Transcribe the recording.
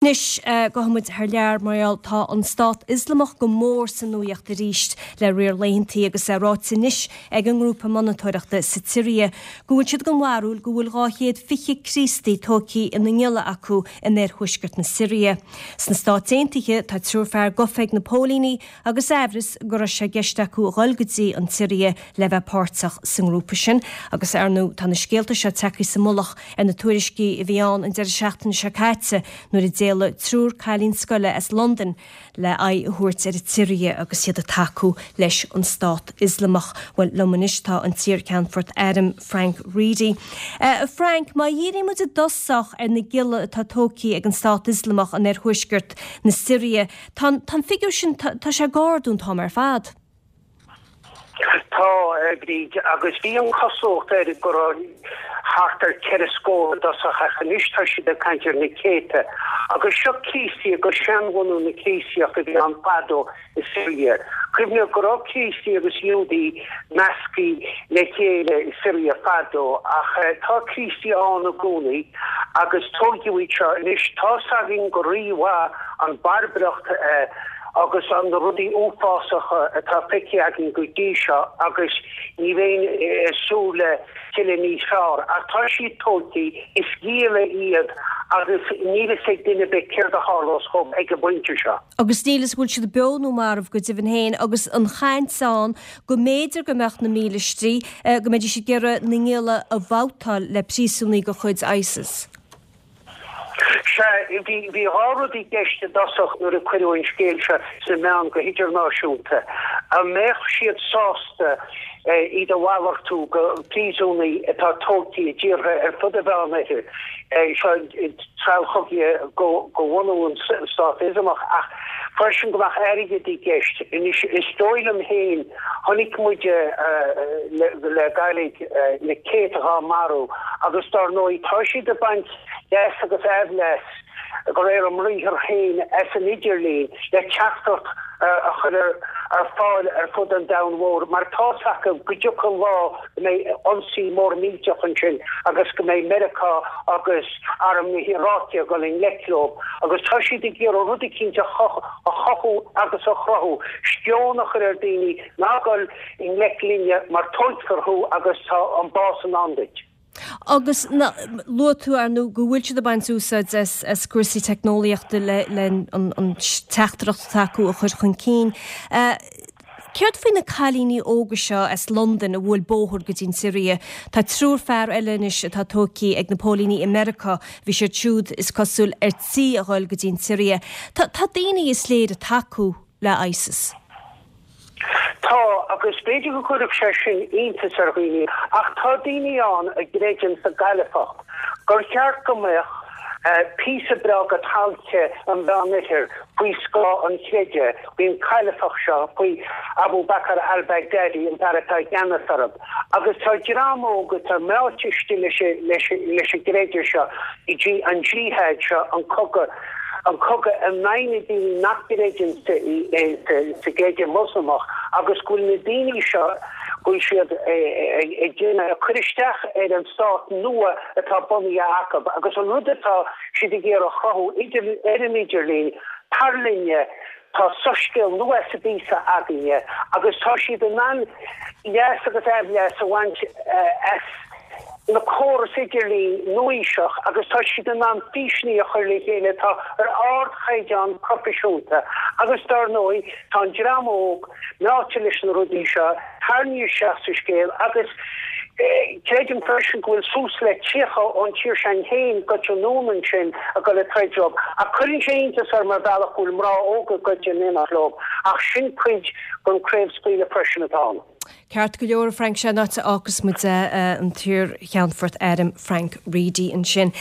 Anois, gabhfaidh muid thar lear mar gheall tá an Stát Ioslamach go mór sa nuaíocht arís le riar laethantaí agus é ráite anois ag an ngrúpa monatóireachta sa tSiria go bhfuil siad den bharúil go bhfuil 220 Críostaí tógtha ina ngialla acu in oirthuaisceart na Siria. Sna Stáit Aontaithe tá triúr fear gafa ag na póilíní agus aimhreas go raibh sé i gceist acu a dhul go dtí an tSiria le bheith páirteach sa ngrúpa sin. Agus, ar ndóigh, tá na scéalta seo tagtha sa mullach ar na tuairiscí a bhí ann an deireadh seachtaine seo caite nuair a d'éalaigh triúr cailín scoile as Londain le aghaidh a thabhairt ar an tSiria agus iad ag tacú leis an Stát Ioslamach. Bhuel, liom anois tá an t-iarCheannfort Airm Frank Reidy. A Frank, má dhíríonn muid i dtosach ar na gialla atá tógtha ag an Stát Ioslamach in oirthuaisceart na Siria, Tá an figiúr sin, tá sé ag ardú an t-am ar fad. Tá, a Bhríd, agus bhí an chosúlacht air go raibh thart ar cheithre scór i dtosach ach anois tá siad ag caint ar na céadta. Agus seo Críostaí agus seanbhunú na Críostaíochta a bhí ann fadó i Siria. Cuimhnigh go raibh Críostaí agus Iúdaí measctha le chéile i Siria fadó ach tá Críostaí ann i gcónaí agus tóigeadh iad seo. Anois tá's againn go rímhaith an bharbaracht agus na rudaí uafásacha atá feicthe againn go dtí seo agus ní bheinn ag súil le tuilleadh níos fearr. Ach tá siad tógtha, is gialla iad agus níl fhios ag duine ar bith céard a tharlós dhóibh ag an bpointe seo. Agus níl fhios an bhfuil siad beo nó marbh go deimhin féin agus an chaint ann go mb'fhéidir go mbeadh na mílístí, go mbeidís ag iarraidh na ngialla a bhabhtáil le príosúnaigh de chuid ISIS. Sea, bhí dhá rud i gceist i dtosach nuair a cuireadh an scéal seo sna meáin go hidirnáisiúnta. An mbeadh siad sásta iad a mhalartú go príosúnaigh atá tógtha i dtíortha ar fud an Mheánoirthir, seo treallchogaithe de bhunú an Stát Ioslamach, ach freisin go mbeadh airgead i gceist. Anois, is dóigh liom féin, chonaic muid le gairid na céadta dhá marú agus dár ndóigh tá siad ag baint leas agus aimhleas de réir a mbriathar féin as an idirlíon le teachtaireacht a chur ar fáil ar fud an domhain mhóir mar tá's acu go dtiocfaidh lá go mbeidh ionsaí mór millteach ansin agus go mbeidh Meiriceá agus arm na hIaráice ag dul i ngleic leo agus tá siad ag iarraidh rud eicínt a chothú agus a chruthú, sceon a chur ar daoine ná gabh i ngleic linne mar tóigfear thú agus tá an bás i ndán duit. Agus luaigh tú, ar ndóigh, go bhfuil siad ag baint úsáid as cúrsaí teicneolaíochta le an teachtaireacht atá acu a chur chun cinn. Céard faoi na cailíní óga seo as Londain a bhuail bóthar go dtí an tSiria? Tá triúr fear eile anois atá tógtha ag na póilíní i Meiriceá. Bhí siad siúd, is cosúil, ar tí a dhul go dtí an tSiria. Tá daoine, is léir, ag tacú le ISIS. Tá, agus b'fhéidir go gcuirfeadh sé sin iontas ar dhaoine, ach tá daoine ann a gcreideann sa gcailifacht, gur cheart go mbeadh píosa breá de thailte an Mheánoirthir faoi scáth an chreidimh, faoin chailifacht seo, faoi Abu Bakr al-Baghdadi, an fear atá i gceannas orthu. Agus tá dream óg atá meáite istigh leis an gcreideamh seo, an jihad seo, an cogadh, an cogadh in aghaidh na daoine nach gcreideann sa gcreideamh Moslamach agus go bhfuil na daoine seo, go bhfuil siad ag déanamh, ag cur isteach ar an stát nua atá bunaithe acu agus an rud atá siad ag iarraidh a chruthú idir, ar an idirlíon, tar linne, tá soiscéal nua as an bpíosa againne agus tá siad in ann leas agus aimhleas a bhaint as na córais idirlín nua-aoiseach agus tá siad in ann físeanna a chur le chéile atá ar ardchaighdeán proifisiúnta agus dar ndóigh tá an dream óg meáite leis na rudaí seo, tarraingthe isteach sa scéal agus creidim freisin go bhfuil suas le 30 ón tír sin féin gaibhte anonn ansin ag dul ag troid leo. Ach cuireann sé iontas orm ar bhealach go bhfuil mná óga gaibhte in éineacht leo ach sin cuid den chraobhscaoileadh freisin atá ann. Ceart go leor, a Frank, sin an áit a fhágfas muid é, an t-iar-Cheannfort Airm Frank Reidy ansin.